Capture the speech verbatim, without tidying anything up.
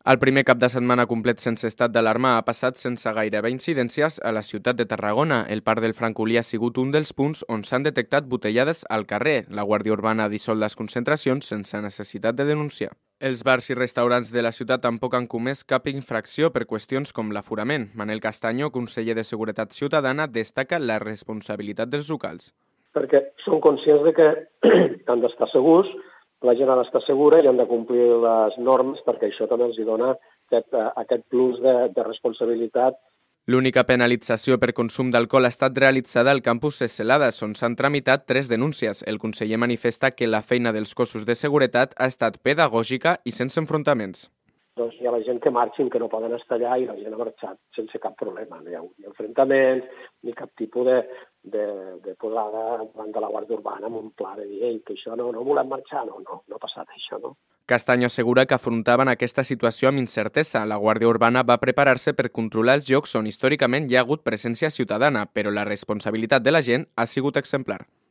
El primer cap de setmana complet sense estat d'alarma ha passat sense gairebé incidències a la ciutat de Tarragona. El Parc del Francolí ha sigut un dels punts on s'han detectat botellades al carrer. La Guàrdia Urbana ha dissolt les concentracions sense necessitat de denunciar. Els bars i restaurants de la ciutat tampoc han comès cap infracció per qüestions com l'aforament. Manel Castaño, conseller de Seguretat Ciutadana, destaca la responsabilitat dels locals. Perquè són conscients de que han d'estar segurs, la gent ha d'estar segura i han de complir les normes perquè això també els dona aquest, aquest plus de, de responsabilitat. L'única penalització per consum d'alcohol ha estat realitzada al campus de Celades, on s'han tramitat tres denúncies. El conseller manifesta que la feina dels cossos de seguretat ha estat pedagògica i sense enfrontaments. Doncs hi ha la gent que marxin, que no poden estar allà, i la gent ha marxat sense cap problema. No hi ha ni enfrontaments, ni cap tipus de, de, de posada davant de la Guàrdia Urbana amb un pla de dir Ei, que això no, no volem marxar, no, no, no ha passat això, no. Castaño assegura que afrontaven aquesta situació amb incertesa. La Guàrdia Urbana va preparar-se per controlar els llocs on històricament hi ha hagut presència ciutadana, però la responsabilitat de la gent ha sigut exemplar.